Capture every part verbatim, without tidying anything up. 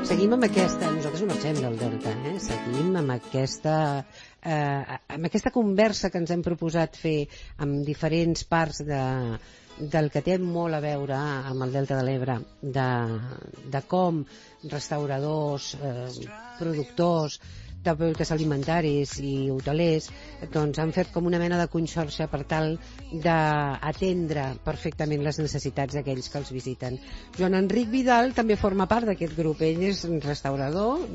Seguim amb aquesta... Nosaltres no marxem del Delta, eh? Seguim amb aquesta... Eh, amb aquesta conversa que ens hem proposat fer amb diferents parts de, del que té molt a veure amb el Delta de l'Ebre, de, de com restauradors, eh, productors de productes alimentaris i hotelers doncs han fet com una mena de conxorxa per tal d'atendre perfectament les necessitats d'aquells que els visiten. Joan Enric Vidal també forma part d'aquest grup. Ell és un restaurador.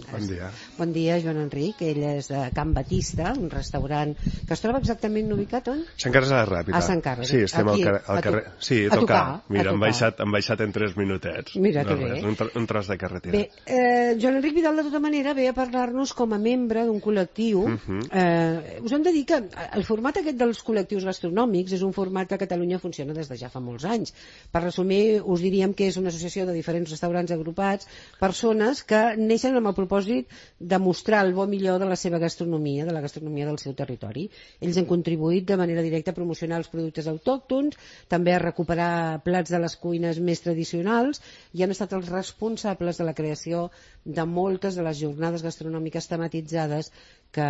Bon dia. Bon dia, Joan Enric. Ell és de Can Batista, un restaurant que es troba exactament ubicat on? Sant Carles de la Ràpita. A Sant Carles. Sí, estem Aquí, al, car al carrer. Sí, a tocar. tocar. Mira, hem baixat, hem baixat en tres minutets. Mira que no, bé. Un, tr un tros de carretera. Bé, eh, Joan Enric Vidal, de tota manera, ve a parlar-nos com a membre d'un col·lectiu. Uh -huh. eh, us hem de dir que el format aquest dels col·lectius gastronòmics és un format que a Catalunya funciona des de ja fa molts anys. Per resumir, us diríem que és una associació de diferents restaurants agrupats, persones que neixen amb el propòsit de mostrar el bo millor de la seva gastronomia, de la gastronomia del seu territori. Ells han contribuït de manera directa a promocionar els productes autòctons, també a recuperar plats de les cuines més tradicionals, i han estat els responsables de la creació de moltes de les jornades gastronòmiques tematitzades que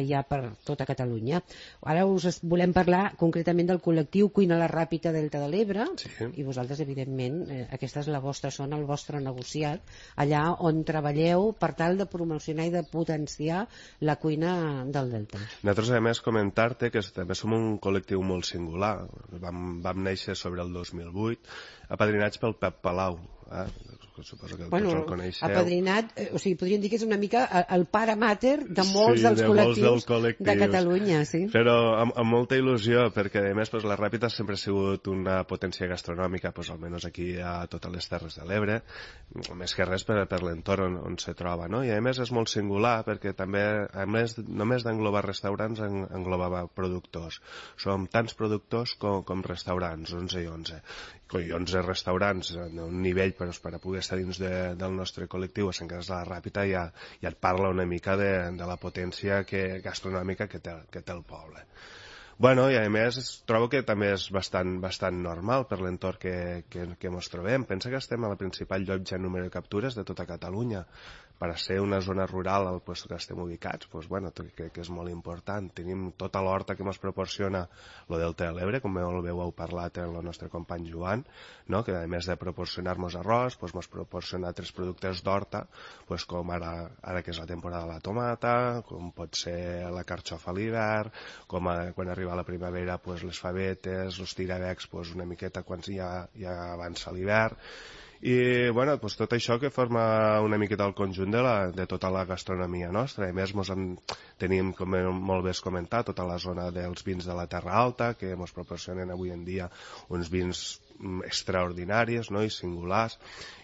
hi ha per tota Catalunya. Ara us volem parlar concretament del col·lectiu Cuina la Ràpita Delta de l'Ebre, sí. I vosaltres, evidentment, eh, aquesta és la vostra zona, el vostre negociat, allà on treballeu per tal de promocionar i de potenciar la cuina del Delta. Nosaltres, a més, comentar-te que també som un col·lectiu molt singular. Vam, vam néixer sobre el dos mil vuit, apadrinats pel Pep Palau, eh? Suposo que bueno, tots el coneixeu. Apadrinat, eh, o sigui, podríem dir que és una mica el pare mater de molts sí, dels de col·lectius, molts col·lectius de Catalunya, sí. Però amb, amb molta il·lusió, perquè a més pues, la Ràpita sempre ha sigut una potència gastronòmica, pues, almenys aquí a totes les Terres de l'Ebre, més que res per, per l'entorn on, on se troba, no? I a més és molt singular perquè també, a més, només d'englobar restaurants, en, englobava productors. Som tants productors com, com restaurants, onze i onze. I onze restaurants en un nivell per, per a poder estar dins de, del nostre col·lectiu a Sant Carles de la Ràpita ja, ja et parla una mica de, de la potència que, gastronòmica que té, que té el poble. Bueno, i a més trobo que també és bastant, bastant normal per l'entorn que, que, que ens trobem. Pensa que estem a la principal llotja en número de captures de tota Catalunya. Per a ser una zona rural al lloc que estem ubicats, pues, bueno, crec que és molt important. Tenim tota l'horta que ens proporciona el Delta de l'Ebre, com molt bé heu parlat amb el nostre company Joan, no? Que a més de proporcionar-nos arròs, ens pues, proporciona altres productes d'horta, pues, com ara, ara que és la temporada de la tomata, com pot ser la carxofa a l'hivern, com a, quan arriba la primavera pues, les favetes, els tirabecs pues, una miqueta quan ja, ja avança l'hivern. I bueno, pues, tot això que forma una miqueta el conjunt de, la, de tota la gastronomia nostra. A més, mos en, tenim, com molt bé has comentat, tota la zona dels vins de la Terra Alta, que ens proporcionen avui en dia uns vins extraordinaris, no? I singulars,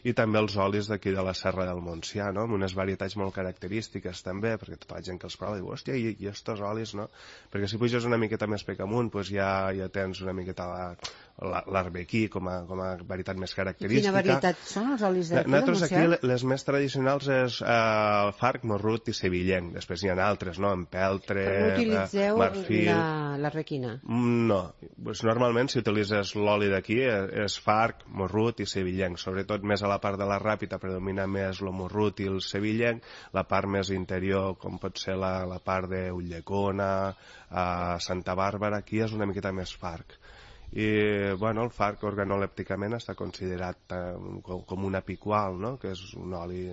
i també els olis d'aquí de la Serra del Montsià, no? Amb unes varietats molt característiques també, perquè tota la gent que els prova diu, hòstia, i, i estos olis, no? Perquè si puges una miqueta més pec amunt, pues ja, ja tens una miqueta l'arbequí com, a, com a varietat més característica. Quina varietat són els olis d'aquí del Nosaltres Montsià? aquí les més tradicionals és eh, farc, morrut i sevillenc. Després n'hi ha altres, no? Empeltre, Però no utilitzeu marfil... l'arbequina? No. Pues normalment si utilitzes l'oli d'aquí és farc, morrut i sevillenc. Sobretot més a la part de la Ràpita predomina més el morrut i el sevillenc. La part més interior, com pot ser la, la part d'Ulldecona, a Santa Bàrbara, aquí és una miqueta més farc. I bueno, el farc organolèpticament està considerat eh, com, com una picual, no? Que és un oli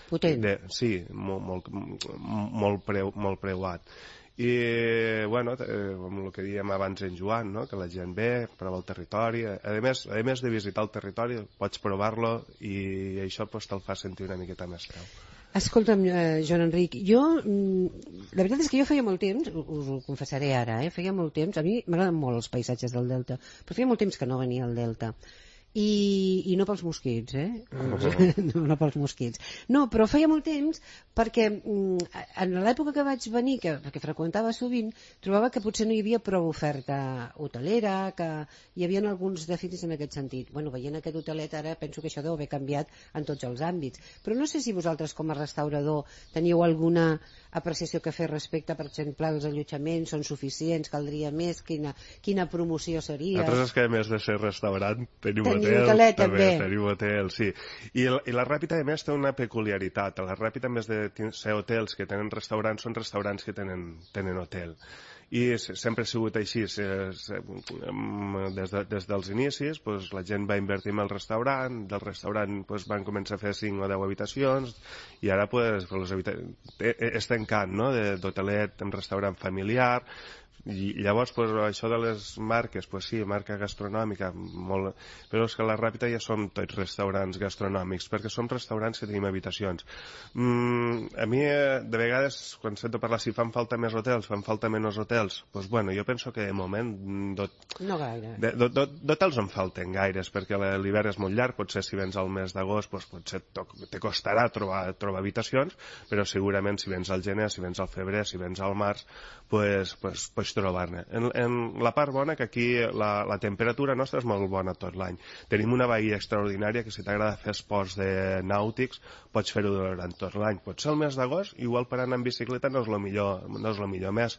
potent. De, sí, molt, molt, molt, preu, molt preuat. I bueno, eh, amb el que dèiem abans en Joan, no? Que la gent ve, prova el territori, a més, a més de visitar el territori pots provar-lo i això pues, te'l fa sentir una miqueta més preu. Escolta'm, eh, Joan Enric, jo, la veritat és que jo feia molt temps, us ho confessaré ara, eh, feia molt temps, a mi m'agraden molt els paisatges del Delta, però feia molt temps que no venia al Delta. I, i no pels mosquits, eh? Oh. No, no pels mosquits. No, però feia molt temps perquè en l'època que vaig venir, que, que freqüentava sovint, trobava que potser no hi havia prou oferta hotelera, que hi havia alguns dèficits en aquest sentit. Bueno, veient aquest hotelet ara penso que això deu haver canviat en tots els àmbits. Però no sé si vosaltres com a restaurador teniu alguna apreciació que fer respecte, per exemple, els allotjaments són suficients, caldria més, quina, quina promoció seria? Nosaltres és que a més de ser restaurant tenim, tenim tenir hotelet, també. Tenim hotel, sí. I, I la Ràpita, a més, té una peculiaritat. A la Ràpita, a més de ser hotels que tenen restaurants, són restaurants que tenen, tenen hotel. I sempre ha sigut així. Des, de, des dels inicis, pues, la gent va invertir en el restaurant, del restaurant pues, van començar a fer cinc o deu habitacions, i ara pues, les habita... és tancant, no?, d'hotelet en restaurant familiar. I llavors, pues, això de les marques, pues sí, marca gastronòmica, molt... però és que a la Ràpita ja som tots restaurants gastronòmics, perquè som restaurants que tenim habitacions. Mm, a mi, de vegades, quan sento parlar si fan falta més hotels, fan falta menys hotels, pues bueno, jo penso que de moment... Dot... No gaire. D'hotels en falten gaires, perquè l'hivern és molt llarg, potser si vens al mes d'agost, pues, potser te costarà trobar, trobar habitacions, però segurament si vens al gener, si vens al febrer, si vens al març, pues, pues, pues trobar-ne. En, en la part bona, que aquí la, la temperatura nostra és molt bona tot l'any. Tenim una bahia extraordinària que si t'agrada fer esports de nàutics pots fer-ho durant tot l'any. Potser el mes d'agost, igual per anar en bicicleta no és el millor, no és el millor mes.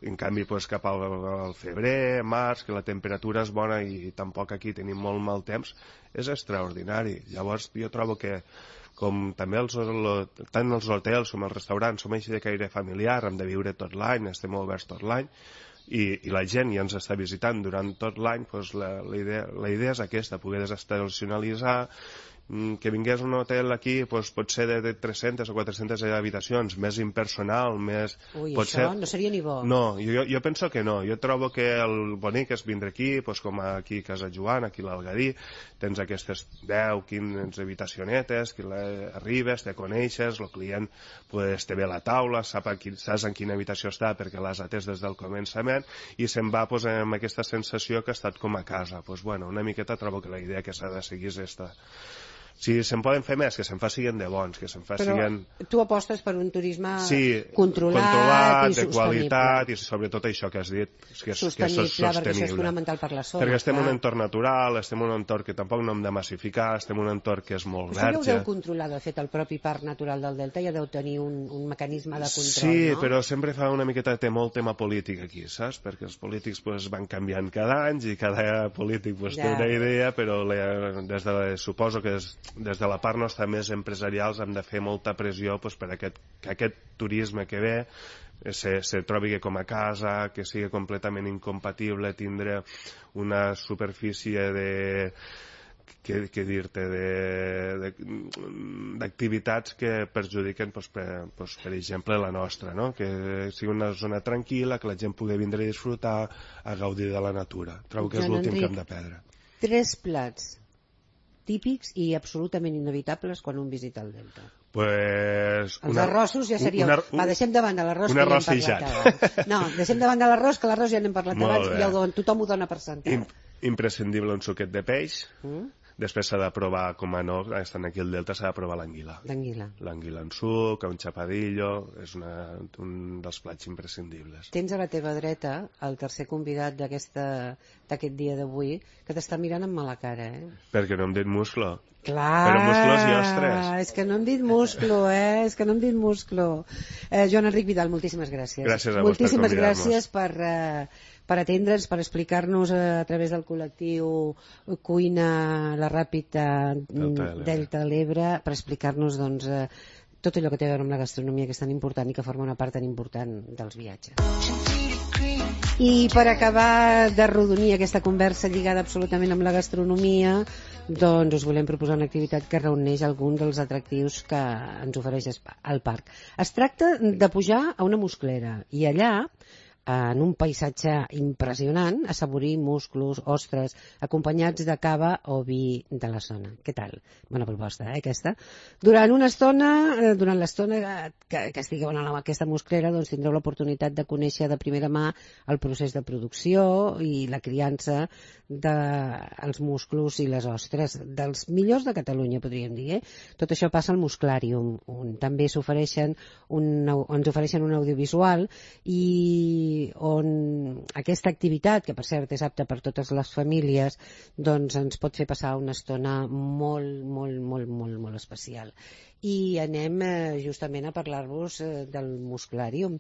En canvi, pues, cap al, al febrer, març, que la temperatura és bona i tampoc aquí tenim molt mal temps, és extraordinari. Llavors jo trobo que com també els, tant els hotels com els restaurants som així de caire familiar, hem de viure tot l'any, estem oberts tot l'any, i, i la gent ja ens està visitant durant tot l'any, doncs la, la, idea, la idea és aquesta, poder desestacionalitzar, que vingués un hotel aquí, doncs, potser de, de tres-centes o quatre-centes habitacions, més impersonal, més... Ui, potser... això no seria ni bo. No, jo, jo penso que no. Jo trobo que el bonic és vindre aquí, doncs, com aquí a Casa Joan, aquí a l'Algadí, tens aquestes deu, quinze habitacionetes, que arribes, te coneixes, el client pues, te ve a la taula, sap qui, saps en quina habitació està perquè l'has atès des del començament, i se'n va pues, amb aquesta sensació que ha estat com a casa. Pues, bueno, una miqueta trobo que la idea que s'ha de seguir és esta. Si se'n poden fer més, que se'n facin de bons, que se'n facin... Però tu apostes per un turisme sí, controlat, controlat i de sostenible. Qualitat, i sobretot això que has dit, que és, sostenible, que és sostenible. Perquè això és fonamental per la zona. Perquè estem clar. en un entorn natural, estem en un entorn que tampoc no hem de massificar, estem en un entorn que és molt verge. Això ja ho verge. deu controlar, de fet, el propi Parc Natural del Delta ja deu tenir un, un mecanisme de control, sí, no? però sempre fa una miqueta de molt tema polític aquí, saps? Perquè els polítics pues, van canviant cada any i cada polític pues, ja. té una idea, però la, des de, suposo que des, des de la part nostra més empresarials hem de fer molta pressió pues, per aquest, que aquest turisme que ve se, se trobi com a casa, que sigui completament incompatible tindre una superfície de que, que dir-te d'activitats que perjudiquen pues, per, pues, per exemple la nostra, no? Que sigui una zona tranquil·la, que la gent pugui vindre a disfrutar, a gaudir de la natura. Trobo que és l'últim que hem de perdre. Tres plats típics i absolutament inevitables quan un visita el Delta. Pues els una, arrossos ja seria... Una, un, Va, deixem de banda l'arròs que ja hem parlat abans. No, deixem de banda l'arròs, que l'arròs ja n'hem parlat abans i el, tothom ho dona per sentat. Im, imprescindible un suquet de peix. Mm? Després s'ha de provar, com a no, estan aquí al Delta, s'ha de provar l'anguila. L'anguila. L'anguila en suc, un xapadillo, és una, un dels plats imprescindibles. Tens a la teva dreta el tercer convidat d'aquest dia d'avui, que t'està mirant amb mala cara, eh? Perquè no hem dit musclo. Clar, però musclos i ostres. És que no hem dit musclo, eh? És que no hem dit musclo. Eh, Joan Enric Vidal, moltíssimes gràcies. Gràcies a vos moltíssimes per gràcies per, eh, per atendre'ns, per explicar-nos a, a través del col·lectiu Cuina la Ràpita Delta de l'Ebre, per explicar-nos doncs, eh, tot allò que té a veure amb la gastronomia, que és tan important i que forma una part tan important dels viatges. I per acabar d'arrodonir aquesta conversa lligada absolutament amb la gastronomia, doncs us volem proposar una activitat que reuneix algun dels atractius que ens ofereix el parc. Es tracta de pujar a una musclera i allà, en un paisatge impressionant, assaborir musclos, ostres, acompanyats de cava o vi de la zona. Què tal? Bona proposta, eh, aquesta? Durant una estona, durant l'estona que, que estigueu en aquesta musclera, doncs tindreu l'oportunitat de conèixer de primera mà el procés de producció i la criança dels de, musclos i les ostres, dels millors de Catalunya, podríem dir. Eh? Tot això passa al Musclàrium, on també s'ofereixen un, ens ofereixen un audiovisual i on aquesta activitat, que per cert és apta per totes les famílies, doncs ens pot fer passar una estona molt, molt, molt, molt, molt especial. I anem eh, justament a parlar-vos eh, del musculàrium.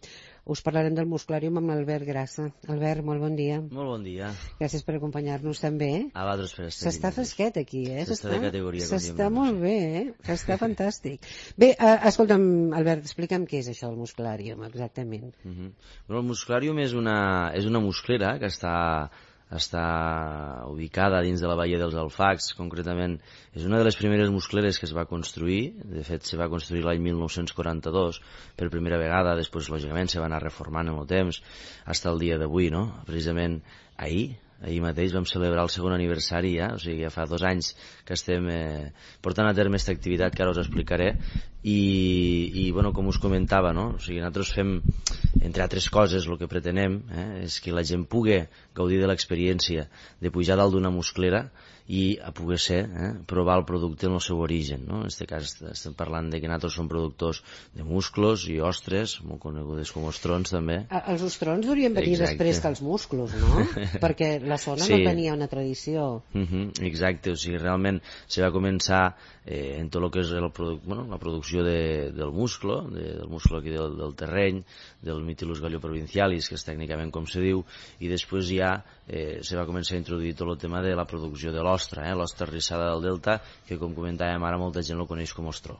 Us parlarem del musculàrium amb l'Albert Grassa. Albert, molt bon dia. Molt bon dia. Gràcies per acompanyar-nos també. A vosaltres per estar. S'està fresquet aquí, eh? S'està de categoria. S'està molt bé, eh? S'està fantàstic. Bé, eh, escolta'm, Albert, explica'm què és això del musculàrium, exactament. Uh -huh. Bueno, el musculàrium és una, és una musclera que està està ubicada dins de la Badia dels Alfacs. Concretament és una de les primeres muscleres que es va construir. De fet, se va construir l'any mil nou-cents quaranta-dos per primera vegada. Després, lògicament, se va anar reformant en el temps fins al dia d'avui, no? Precisament ahir ahir mateix vam celebrar el segon aniversari ja, o sigui, ja fa dos anys que estem eh, portant a terme aquesta activitat que ara us explicaré. I, i bueno, com us comentava, no? O sigui, nosaltres fem, entre altres coses, el que pretenem eh, és que la gent pugui gaudir de l'experiència de pujar dalt d'una musclera i a poder ser, eh, provar el producte en el seu origen, no? En aquest cas estem parlant de que nosaltres som productors de musclos i ostres, molt conegudes com ostrons també. Els ostrons haurien venir Exacte. Després que els musclos, no? Perquè la zona sí. No tenia una tradició. Uh -huh, exacte, o sigui, realment se va començar eh, en tot el que és el produ bueno, la producció de, del musclo, de, del musclo aquí del, del terreny, del Mytilus galloprovincialis, que és tècnicament com se diu, i després ja eh, se va començar a introduir tot el tema de la producció de l'ostra, eh, l'ostra rissada del delta, que com comentàvem ara molta gent el coneix com ostró.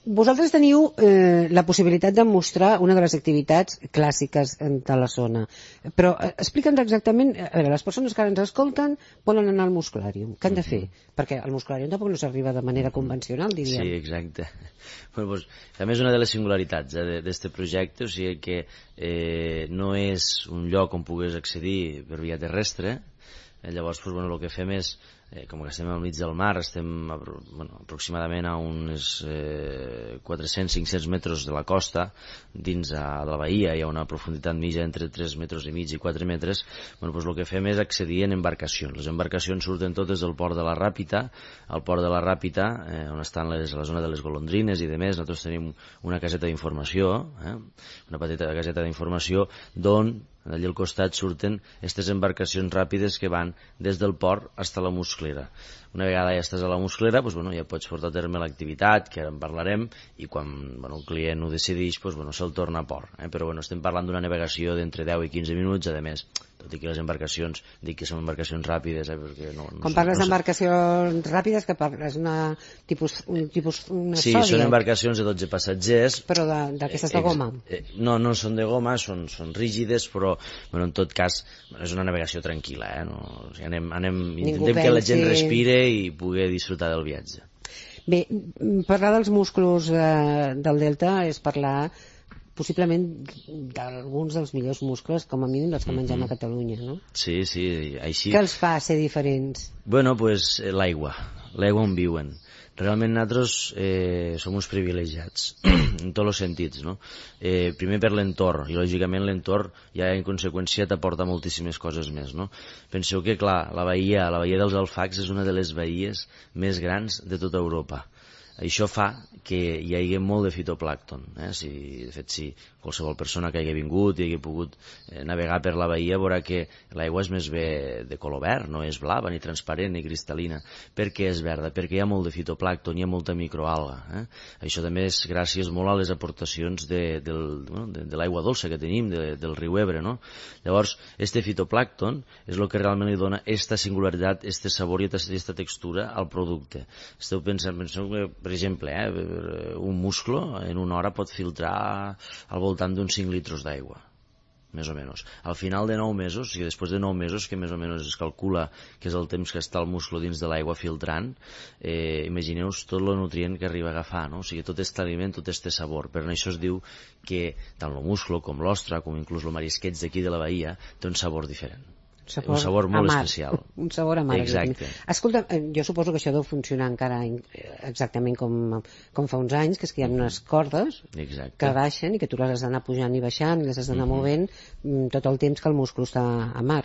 Vosaltres teniu eh, la possibilitat de mostrar una de les activitats clàssiques de la zona, però eh, explica'ns exactament, a veure, les persones que ara ens escolten volen anar al musculàrium, què han de fer? Mm-hmm. Perquè al musculàrium tampoc no s'arriba de manera convencional, diríem. Sí, exacte. Bueno, pues, també és una de les singularitats eh, d'aquest projecte, o sigui que eh, no és un lloc on pugues accedir per via terrestre, eh, llavors pues, bueno, el que fem és Eh, com que estem al mig del mar, estem bueno, aproximadament a uns eh, quatre-cents a cinc-cents metres de la costa, dins a, de la bahia hi ha una profunditat mitja entre tres metres i mig i quatre metres. Bueno, doncs el que fem és accedir en embarcacions. Les embarcacions surten totes del port de la Ràpita. Al port de la Ràpita, eh, on estan les, la zona de les golondrines i demés, nosaltres tenim una caseta d'informació, eh, una petita caseta d'informació, d'on allà al costat surten aquestes embarcacions ràpides que van des del port fins a la musclera. Una vegada ja estàs a la musclera, doncs, bueno, ja pots portar a terme l'activitat, que ara en parlarem, i quan bueno, el client ho decideix, doncs, bueno, se'l torna a port. Eh? Però bueno, estem parlant d'una navegació d'entre deu i quinze minuts, a més, tot i que les embarcacions, dic que són embarcacions ràpides, eh? Perquè no, no quan són, parles no d'embarcacions ràpides, que parles una tipus, un tipus una sí, sòdia? Són embarcacions de dotze passatgers. Però d'aquestes de, de goma? Eh, no, no són de goma, són, són rígides, però bueno, en tot cas bueno, és una navegació tranquil·la, eh? No, o sigui, anem, anem, intentem pensi... que la gent respire i pugui disfrutar del viatge. Bé, parlar dels músculs eh, del delta és parlar possiblement d'alguns dels millors muscles, com a mínim dels que mengem mm-hmm. a Catalunya, no? Sí, sí, així. Què els fa ser diferents? Bueno, pues l'aigua, l'aigua on viuen. Realment nosaltres eh, som uns privilegiats en tots els sentits, no? Eh, primer per l'entorn, i lògicament l'entorn ja en conseqüència t'aporta moltíssimes coses més, no? Penseu que, clar, la bahia, la bahia dels Alfacs és una de les bahies més grans de tota Europa. Això fa que hi hagi molt de fitoplàncton. Eh? Si, de fet, si qualsevol persona que hagi vingut i hagi pogut eh, navegar per la bahia veurà que l'aigua és més bé de color verd, no és blava, ni transparent, ni cristal·lina. Per què és verda? Perquè hi ha molt de fitoplàncton, hi ha molta microalga. Eh? Això també és gràcies molt a les aportacions de, del, bueno, de, de l'aigua dolça que tenim, de, del riu Ebre, no? Llavors, este fitoplàncton és el que realment li dona esta singularitat, este sabor i esta textura al producte. Esteu pensant, penseu que, per exemple, eh, un musclo en una hora pot filtrar al voltant d'uns cinc litres d'aigua, més o menys. Al final de nou mesos, o sigui, després de nou mesos, que més o menys es calcula que és el temps que està el musclo dins de l'aigua filtrant, eh, imagineu-vos tot el nutrient que arriba a agafar, no? O sigui, tot aquest aliment, tot aquest sabor. Per això es diu que tant el musclo com l'ostra, com inclús el marisqueig d'aquí de la bahia, té un sabor diferent. Sabor un sabor molt amar. especial. Un sabor amarg. Exacte. Escolta, jo suposo que això deu funcionar encara exactament com, com fa uns anys, que és que hi ha unes cordes Exacte. que baixen i que tu les has d'anar pujant i baixant, les has d'anar uh-huh. movent tot el temps que el múscul està a mar.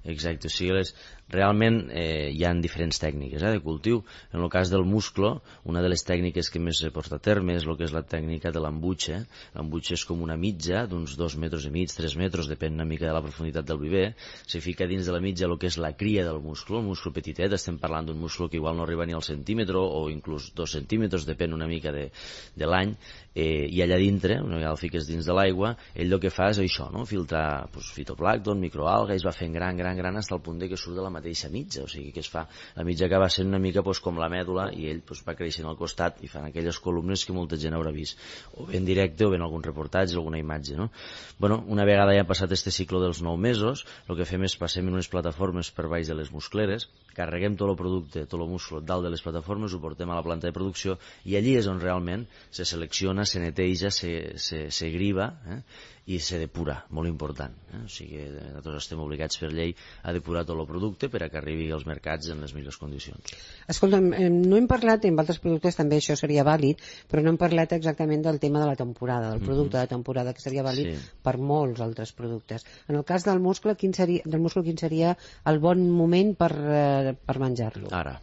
Exacte, o sigui, les, realment eh, hi ha diferents tècniques eh, de cultiu. En el cas del musclo, una de les tècniques que més s'ha portat a terme és el que és la tècnica de l'embutxe. L'embutxe és com una mitja d'uns dos metres i mig, tres metres, depèn una mica de la profunditat del viver. Se fica dins de la mitja el que és la cria del musclo, el musclo petitet, estem parlant d'un musclo que igual no arriba ni al centímetre o inclús dos centímetres, depèn una mica de, de l'any, eh, i allà dintre, una vegada el fiques dins de l'aigua, ell el que fa és això, no? Filtrar pues, fitoplàncton, microalga, i es va fent gran, gran, gran, fins al punt de que surt de la mateixa mitja, o sigui que es fa, la mitja acaba sent una mica pues, com la mèdula, i ell pues, va creixent al costat i fan aquelles columnes que molta gent haurà vist, o ben directe o ben algun reportatge, alguna imatge, no? Bueno, una vegada ja ha passat este cicle dels nou mesos, el que fem és passem en unes plataformes per baix de les muscleres, carreguem tot el producte, tot el musclo dalt de les plataformes, ho portem a la planta de producció i allí és on realment se selecciona, se neteja, se, se, se griva, eh? I se depura, molt important. Eh? O sigui, nosaltres estem obligats per llei a depurar tot el producte per a que arribi als mercats en les millors condicions. Escolta'm, no hem parlat, en altres productes també això seria vàlid, però no hem parlat exactament del tema de la temporada, del producte mm-hmm. de temporada, que seria vàlid sí. per molts altres productes. En el cas del muscle, quin seria, del muscle, quin seria el bon moment per, eh, per menjar-lo? Ara.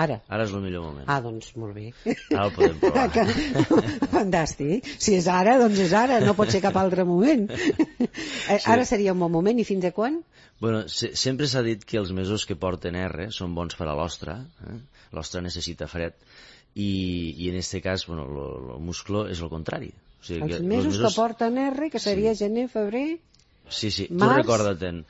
Ara? Ara és el millor moment. Ah, doncs molt bé. Ara el podem provar. Fantàstic. Si és ara, doncs és ara, no pot ser cap altre moment. Sí. Ara seria un bon moment, i fins a quan? Bueno, se sempre s'ha dit que els mesos que porten R són bons per a l'ostra, eh? L'ostra necessita fred, i, i en aquest cas, bueno, el musclo és el contrari. O sigui, els que mesos, mesos que porten R, que seria sí. gener, febrer... Sí, sí, març... tu recorda-te'n.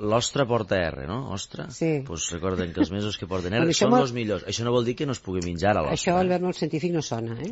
L'ostra porta R, no? Ostra? Sí. Pues recorden que els mesos que porten R són molt... els millors. Això no vol dir que no es pugui menjar a l'ostra. Això, Albert, molt científic no sona, eh?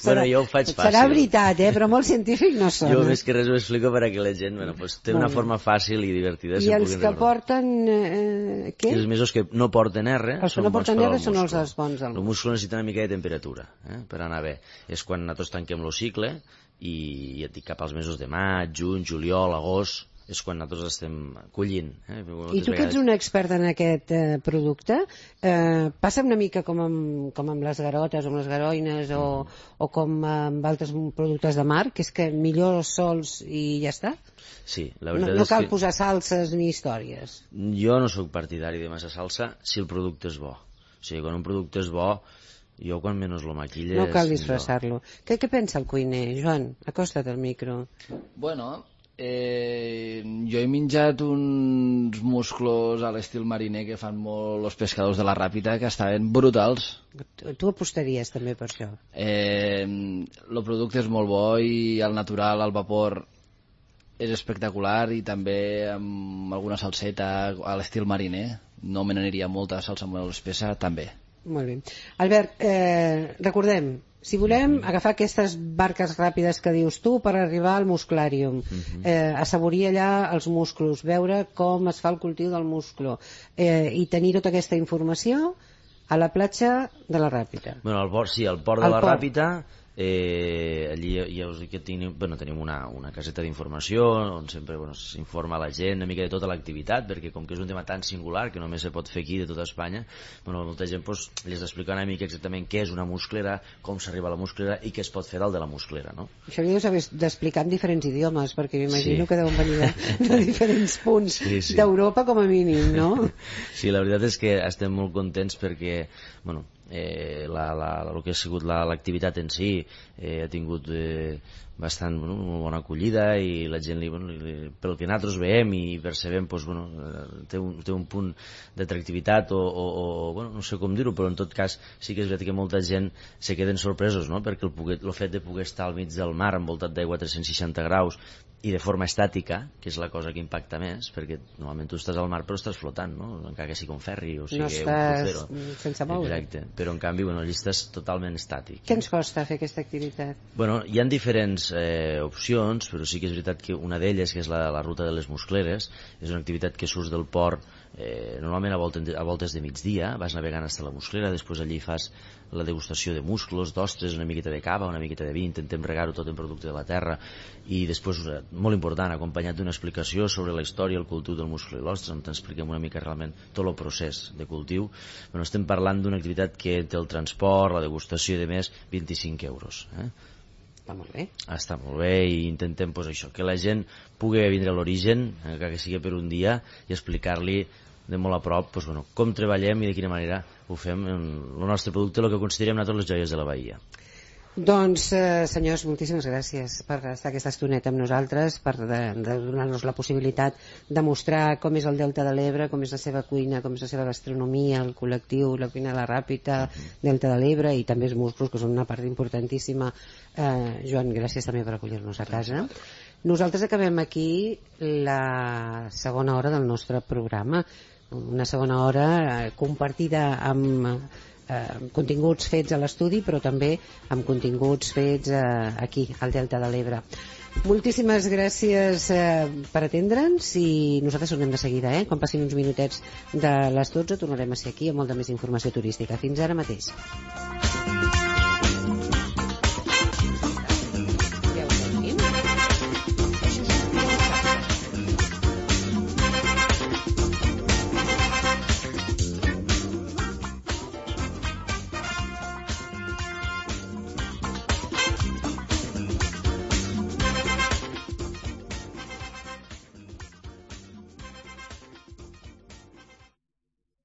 Bueno, jo ho faig fàcil. Serà veritat, eh? Però molt científic no sona. Jo més que res ho explico per a que la gent bueno, pues, té una forma fàcil i divertida. I els que recordar. porten... Eh, què? I els mesos que no porten R els que no porten R són els, els bons. El muscle necessita una mica de temperatura eh? per anar bé. És quan nosaltres tanquem el cicle i, i et dic cap als mesos de maig, juny, juliol, agost, és quan nosaltres estem collint. Eh? I tu que ets un expert en aquest eh, producte, eh, passa una mica com amb, com amb les garotes o amb les garoines o, mm. o com amb altres productes de mar, que és que millor sols i ja està? Sí, la veritat no, no és cal que... posar salses ni històries. Jo no sóc partidari de massa salsa si el producte és bo. O sigui, quan un producte és bo, jo quan menys lo maquilles... No cal disfressar-lo. Què, què pensa el cuiner, Joan? Acosta't al micro. Bueno... Eh, jo he menjat uns musclos a l'estil mariner que fan molt els pescadors de la Ràpita, que estaven brutals. Tu, tu apostaries també per això? Eh, el producte és molt bo i al natural, al vapor, és espectacular, i també amb alguna salseta a l'estil mariner. No me n'aniria molta salsa molt espessa, també. Molt bé. Albert, eh, recordem, si volem agafar aquestes barques ràpides que dius tu per arribar al musclàrium, uh-huh. eh, assaborir allà els musclos, veure com es fa el cultiu del musclo, eh, i tenir tota aquesta informació a la platja de la Ràpita. Bueno, al port, sí, al port de al la port. Ràpita, eh, allí ja us dic que tenim, bueno, tenim una, una caseta d'informació on sempre bueno, s'informa la gent una mica de tota l'activitat, perquè com que és un tema tan singular que només se pot fer aquí de tota Espanya, bueno, molta gent pues, li has d'explicar una mica exactament què és una musclera, com s'arriba a la musclera i què es pot fer dalt de la musclera, no? Això li deus haver d'explicar en diferents idiomes, perquè m'imagino sí. que deuen venir de, de diferents punts sí, sí. d'Europa com a mínim, no? Sí, la veritat és que estem molt contents perquè, bueno, eh, la, la, el que ha sigut l'activitat la, en si eh, ha tingut eh, bastant bueno, una bona acollida, i la gent li, bueno, li, pel que nosaltres veiem i percebem pues, bueno, té, un, té un punt d'atractivitat o, o, o bueno, no sé com dir-ho, però en tot cas sí que és veritat que molta gent se queden sorpresos, no? Perquè el, poder, el fet de poder estar al mig del mar envoltat d'aigua a tres-cents seixanta graus i de forma estàtica, que és la cosa que impacta més, perquè normalment tu estàs al mar però estàs flotant, no? Encara que sigui un ferri o sigui no estàs un crucero. Sense moure. Exacte, però en canvi bueno, allà estàs totalment estàtic. Què ens costa fer aquesta activitat? Bueno, hi ha diferents eh, opcions, però sí que és veritat que una d'elles, que és la, la ruta de les muscleres, és una activitat que surts del port eh, normalment a voltes, a voltes de migdia, vas navegant fins a la musclera, després allí fas la degustació de musclos, d'ostres, una miqueta de cava, una miqueta de vi, intentem regar-ho tot en producte de la terra, i després, molt important, acompanyat d'una explicació sobre la història, el cultiu del musclo i l'ostre, on t'expliquem una mica realment tot el procés de cultiu. Bueno, estem parlant d'una activitat que té el transport, la degustació i de més, vint-i-cinc euros. Eh? Està molt bé. Està molt bé i intentem pues, això, que la gent pugui vindre a l'origen, encara que sigui per un dia, i explicar-li de molt a prop pues, bueno, com treballem i de quina manera ho fem en el nostre producte, el que considerem nosaltres les joies de la Bahia. Doncs, eh, senyors, moltíssimes gràcies per estar aquesta estoneta amb nosaltres, per de, de donar-nos la possibilitat de mostrar com és el Delta de l'Ebre, com és la seva cuina, com és la seva gastronomia, el col·lectiu, la cuina de la Ràpita, Delta de l'Ebre i també els musclos, que són una part importantíssima. Eh, Joan, gràcies també per acollir-nos a casa. Nosaltres acabem aquí la segona hora del nostre programa, una segona hora eh, compartida amb Eh, continguts fets a l'estudi, però també amb continguts fets eh, aquí al Delta de l'Ebre. Moltíssimes gràcies eh, per atendre'ns i nosaltres tornem de seguida, eh? Quan passin uns minutets de les dotze tornarem a ser aquí amb molta més informació turística. Fins ara mateix.